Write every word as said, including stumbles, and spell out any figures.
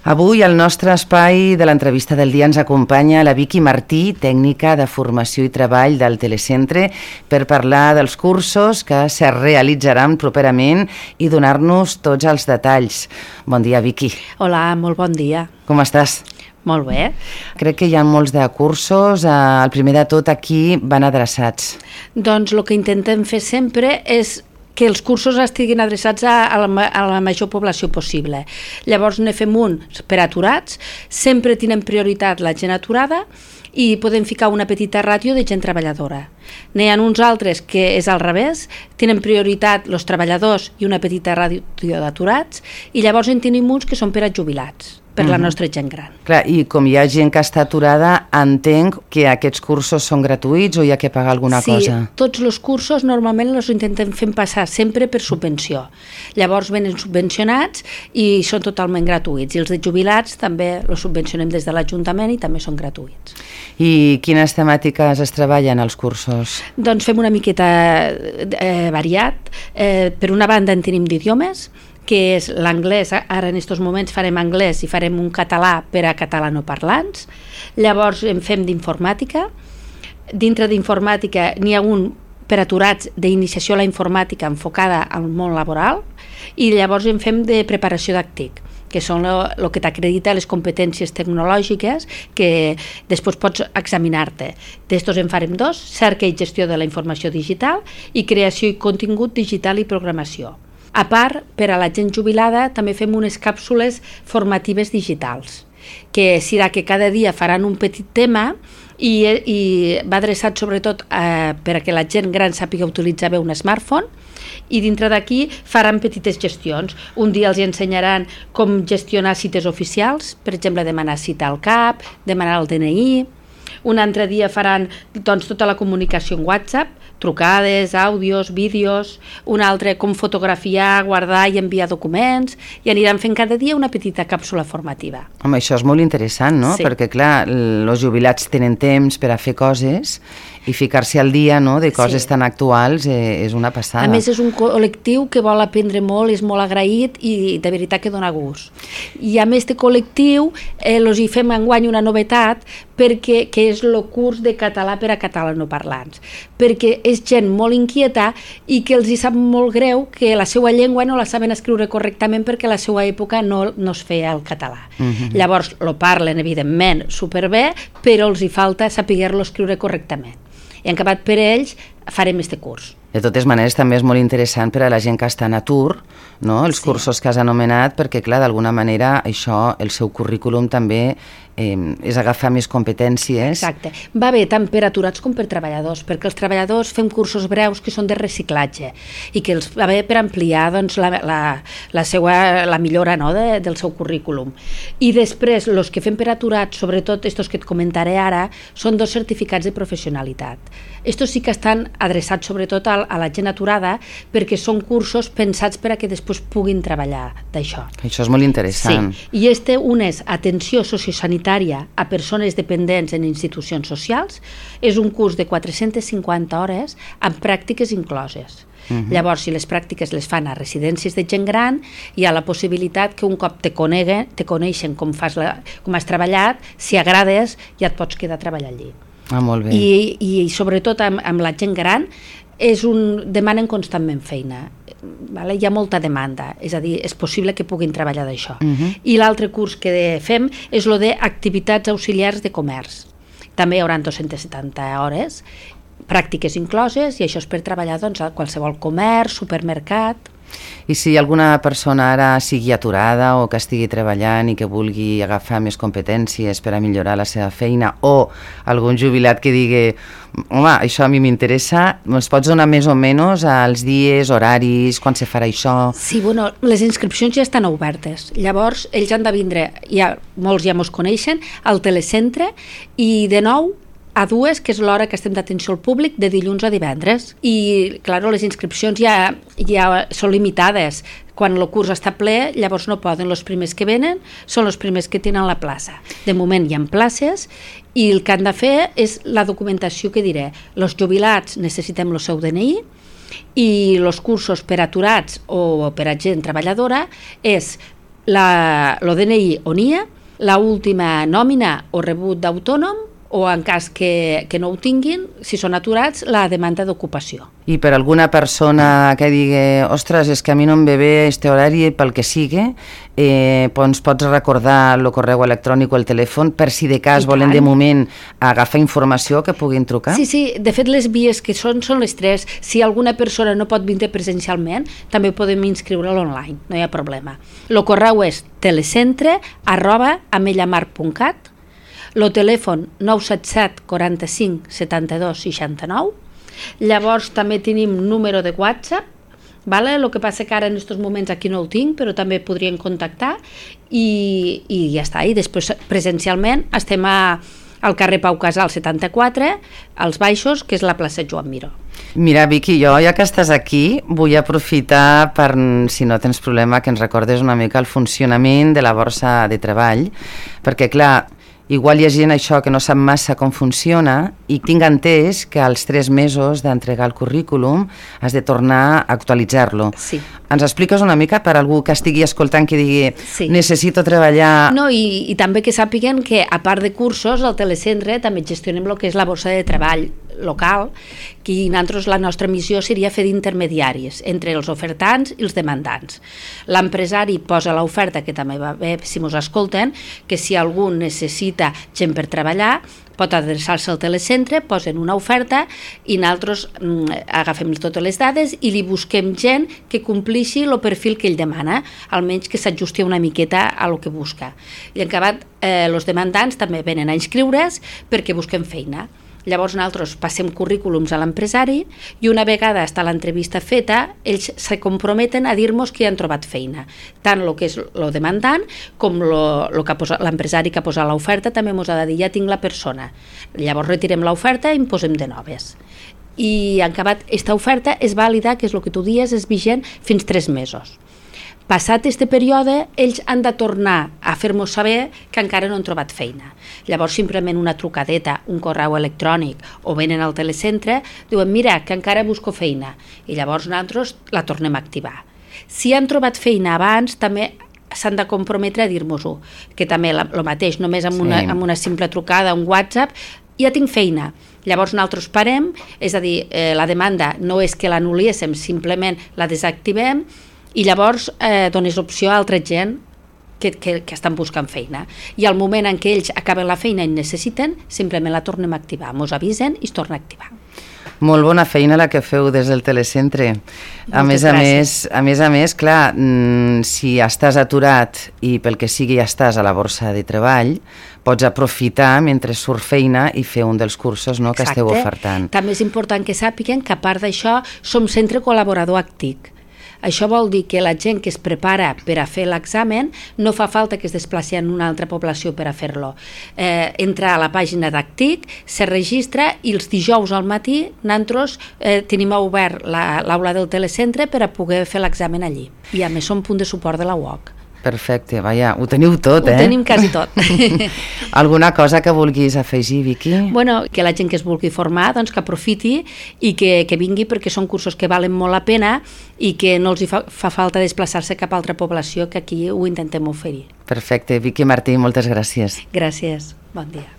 Avui al nostre espai de l'entrevista del dia ens acompanya la Vicky Martí, tècnica de formació i treball del Telecentre, per parlar dels cursos que se realitzaran properament i donar-nos tots els detalls. Bon dia, Vicky. Hola, molt bon dia. Com estàs? Molt bé. Crec que hi ha molts de cursos. El primer de tot, aquí van adreçats. Doncs el que intentem fer sempre és que els cursos estiguin adreçats a, a, la, a la major població possible. Llavors ne fem uns per aturats, sempre tenen prioritat la gent aturada i podem ficar una petita ràtio de gent treballadora. N'hi ha uns altres que és al revés, tenen prioritat els treballadors i una petita ràtio d'aturats, i llavors en tenim uns que són per a jubilats, per la nostra gent gran. Clar, i com hi ha gent que està aturada, entenc que aquests cursos són gratuïts o hi ha que pagar alguna sí, cosa? Sí, tots els cursos normalment els intentem fer passar sempre per subvenció. Llavors venen subvencionats i són totalment gratuïts. I els de jubilats també els subvencionem des de l'Ajuntament i també són gratuïts. I quines temàtiques es treballen als cursos? Doncs fem una miqueta eh, variat. Eh, per una banda en tenim d'idiomes, que és l'anglès. Ara en aquests moments farem anglès i farem un català per a catalanoparlants. Llavors en fem d'informàtica. Dintre d'informàtica n'hi ha un per aturats d'iniciació a la informàtica enfocada al món laboral, i llavors en fem de preparació d'actic, que són el que t'acredita les competències tecnològiques que després pots examinar-te. D'estos en farem dos: cerca i gestió de la informació digital i creació i contingut digital i programació. A part, per a la gent jubilada també fem unes càpsules formatives digitals, que serà que cada dia faran un petit tema i, i va adreçat sobretot eh, per a que la gent gran sàpiga utilitzar bé un smartphone, i dintre d'aquí faran petites gestions. Un dia els ensenyaran com gestionar cites oficials, per exemple demanar cita al C A P, demanar el D N I. Un altre dia faran doncs, tota la comunicació en WhatsApp, trucades, àudios, vídeos. Un altre com fotografiar, guardar i enviar documents, i aniran fent cada dia una petita càpsula formativa. Home, això és molt interessant, no? Sí. Perquè, clar, els jubilats tenen temps per a fer coses i ficar-se al dia, no?, de coses sí. tan actuals eh, és una passada. A més, és un col·lectiu que vol aprendre molt, és molt agraït i de veritat que dona gust. I a més, este col·lectiu eh, els hi fem enguany una novetat, perquè que és el curs de català per a catalanoparlants, perquè és gent molt inquieta i que els hi sap molt greu que la seva llengua no la saben escriure correctament perquè a la seva època no, no es feia el català. Uh-huh. Llavors, lo parlen, evidentment, superbé, però els hi falta saber-lo escriure correctament. I en acabat per ells farem este curs. De totes maneres, també és molt interessant per a la gent que està en atur, no?, els sí. cursos que has anomenat, perquè, clar, d'alguna manera, això, el seu currículum també eh, és agafar més competències. Exacte. Va bé tant per aturats com per treballadors, perquè els treballadors fem cursos breus que són de reciclatge i que els va bé per ampliar doncs, la, la, la, seva, la millora, no?, de, del seu currículum. I després, els que fem per aturats, sobretot estos que et comentaré ara, són dos certificats de professionalitat. Estos sí que estan adreçats sobretot a, a la gent aturada, perquè són cursos pensats per a que després puguin treballar d'això. Això és molt interessant. Sí. I este un és atenció sociosanitària a persones dependents en institucions socials. És un curs de quatre-centes cinquanta hores amb pràctiques incloses. Uh-huh. Llavors, si les pràctiques les fan a residències de gent gran, hi ha la possibilitat que un cop te coneguen, te coneixen com, fas la, com has treballat, si agrades, ja et pots quedar a treballar allí. Ah, molt bé. I, i sobretot amb, amb la gent gran és un, demanen constantment feina, vale? Hi ha molta demanda, és a dir, és possible que puguin treballar d'això. Uh-huh. I l'altre curs que fem és el d'activitats auxiliars de comerç. També hi haurà dos-centes setanta hores, pràctiques incloses, i això és per treballar doncs, a qualsevol comerç, supermercat. I si alguna persona ara sigui aturada o que estigui treballant i que vulgui agafar més competències per a millorar la seva feina, o algun jubilat que digui home, això a mi m'interessa, ens pots donar més o menys els dies, horaris, quan se farà això? Sí, bueno, les inscripcions ja estan obertes. Llavors, ells han de vindre, ja, molts ja mos coneixen, al Telecentre, i de nou a dues, que és l'hora que estem d'atenció al públic, de dilluns a divendres. I, clar, les inscripcions ja, ja són limitades. Quan el curs està ple, llavors no poden. Els primers que venen són els primers que tenen la plaça. De moment hi ha places i el que han de fer és la documentació que diré. Els jubilats necessitem el seu D N I i els cursos per aturats o per a gent treballadora és la, el D N I o N I A, la última nòmina o rebut d'autònom, o en cas que, que no ho tinguin, si són aturats, la demanda d'ocupació. I per alguna persona que digui ostres, és que a mi no em ve bé este horari pel que sigui, eh, ens pots recordar el correu electrònic o el telèfon per si de cas volen de moment agafar informació que puguin trucar? Sí, sí, de fet les vies que són són les tres. Si alguna persona no pot vindre presencialment, també podem inscriure'l online, no hi ha problema. El correu és telecentre arroba amellamar punt cat, el telèfon nou set set quaranta-cinc setanta-dos seixanta-nou. Llavors també tenim número de WhatsApp, vale? El que passa que ara en aquests moments aquí no el tinc, però també podrien contactar i, i ja està. I després presencialment estem a, al carrer Pau Casal setanta-quatre, als Baixos, que és la plaça Joan Miró. Mira, Vicky, jo ja que estàs aquí vull aprofitar per, si no tens problema, que ens recordes una mica el funcionament de la borsa de treball, perquè clar, igual hi ha gent això que no sap massa com funciona i tinc entès que als tres mesos d'entregar el currículum has de tornar a actualitzar-lo. Sí. Ens expliques una mica per algú que estigui escoltant que digui sí. necessito treballar... No, i, i també que sàpiguen que a part de cursos al telecentre també gestionem el que és la borsa de treball local, que nosaltres la nostra missió seria fer d'intermediaris entre els ofertants i els demandants. L'empresari posa l'oferta, que també va bé si mos escolten, que si algú necessita gent per treballar pot adreçar-se al telecentre, posen una oferta i nosaltres mm, agafem totes les dades i li busquem gent que complixi el perfil que ell demana, almenys que s'ajusti una miqueta a lo que busca. I en acabat, eh, els demandants també venen a inscriure's perquè busquen feina. Llavors nosaltres passem currículums a l'empresari i una vegada està l'entrevista feta, ells se comprometen a dir-nos que han trobat feina. Tant el que és el demandant com l'empresari que ha posat l'oferta també ens ha de dir ja tinc la persona. Llavors retirem l'oferta i en posem de noves. I en acabat, aquesta oferta és vàlida, que és el que tu dies, és vigent fins tres mesos. Passat aquest període, ells han de tornar a fer-nos saber que encara no han trobat feina. Llavors, simplement una trucadeta, un correu electrònic o venen al telecentre, diuen, mira, que encara busco feina. I llavors nosaltres la tornem a activar. Si han trobat feina abans, també s'han de comprometre a dir-nos-ho, que també el mateix, només amb una, sí. amb una simple trucada, un WhatsApp, ja tinc feina. Llavors nosaltres parem, és a dir, eh, la demanda no és que l'anul·liéssim, simplement la desactivem, i llavors eh, dones opció a altra gent que, que, que estan buscant feina. I al moment en què ells acaben la feina i necessiten, simplement la tornem a activar. Mos avisen i es torna a activar. Molt bona feina la que feu des del telecentre. A més a més, a més a més, clar, si estàs aturat i pel que sigui ja estàs a la borsa de treball, pots aprofitar mentre surt feina i fer un dels cursos, no, que esteu ofertant. També és important que sàpiguen que a part d'això som centre col·laborador actiu. Això vol dir que la gent que es prepara per a fer l'examen no fa falta que es desplaci en una altra població per a fer-lo. Eh, entra a la pàgina d'Actic, se registra i els dijous al matí nosaltres eh, tenim obert l'aula del telecentre per a poder fer l'examen allí. I a més som punt de suport de la U O C. Perfecte, vaja, ho teniu tot, eh? Ho tenim quasi tot. Alguna cosa que vulguis afegir, Vicky? Bueno, que la gent que es vulgui formar, doncs que aprofiti i que, que vingui, perquè són cursos que valen molt la pena i que no els hi fa, fa falta desplaçar-se cap a altra població, que aquí ho intentem oferir. Perfecte, Vicky Martí, moltes gràcies. Gràcies, bon dia.